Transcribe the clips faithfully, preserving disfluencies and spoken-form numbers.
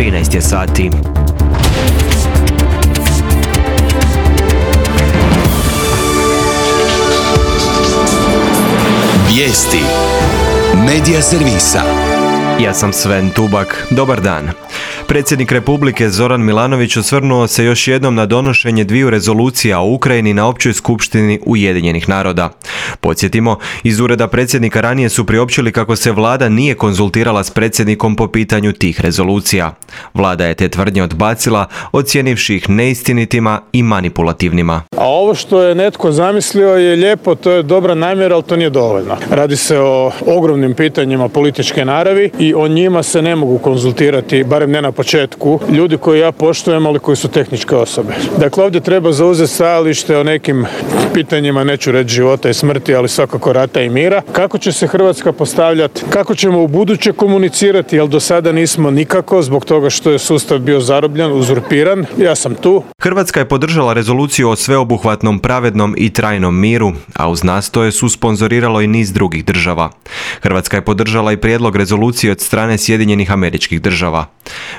trinaest je sati. Vijesti Medija servisa. Ja sam Sven Tubak. Dobar dan. Predsjednik Republike Zoran Milanović osvrnuo se još jednom na donošenje dviju rezolucija o Ukrajini na Općoj skupštini Ujedinjenih naroda. Podsjetimo, iz ureda predsjednika ranije su priopćili kako se vlada nije konzultirala s predsjednikom po pitanju tih rezolucija. Vlada je te tvrdnje odbacila, ocijenivši ih neistinitima i manipulativnima. A ovo što je netko zamislio je lijepo, to je dobra namjera, ali to nije dovoljno. Radi se o ogromnim pitanjima političke naravi i o njima se ne mogu konzultirati, barem ne na početku, ljudi koji ja poštujem, ali koji su tehničke osobe. Dakle, ovdje treba zauzeti stajalište o nekim pitanjima, neću reći života i smrti, ali svakako rata i mira. Kako će se Hrvatska postavljati, kako ćemo u buduće komunicirati, jer do sada nismo nikako, zbog toga što je sustav bio zarobljen, uzurpiran. Ja sam tu. Hrvatska je podržala rezoluciju o sveobuhvatnom, pravednom i trajnom miru, a uz nastoje su sponzoriralo i niz drugih država. Hrvatska je podržala i prijedlog rezolucije od strane Sjedinjenih Američkih Država.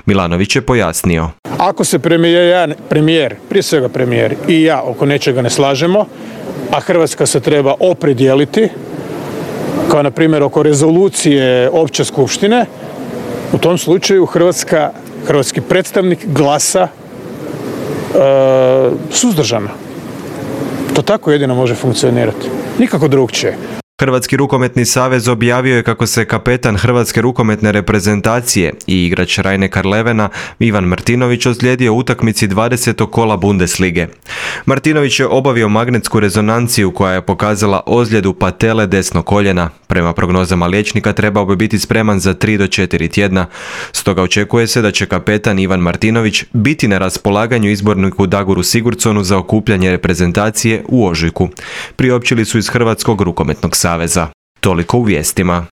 Milanović je pojasnio. Ako se premijer, ja, premijer, prije svega premijer i ja oko nečega ne slažemo, a Hrvatska se treba opredijeliti, kao na primjer oko rezolucije Opće skupštine, u tom slučaju Hrvatska, hrvatski predstavnik glasa e, suzdržano. To tako jedino može funkcionirati. Nikako drugčije. Hrvatski rukometni savez objavio je kako se kapetan Hrvatske rukometne reprezentacije i igrač Rhein-Neckar-Levena Ivan Martinović ozlijedio u utakmici dvadesetog kola Bundeslige. Martinović je obavio magnetsku rezonanciju koja je pokazala ozljedu patele desnog koljena. Prema prognozama liječnika trebao bi biti spreman za tri do četiri tjedna. Stoga očekuje se da će kapetan Ivan Martinović biti na raspolaganju izborniku Dagoru Sigurdsonu za okupljanje reprezentacije u ožujku. Priopćili su iz Hrvatskog rukometnog saveza. Toliko u vijestima.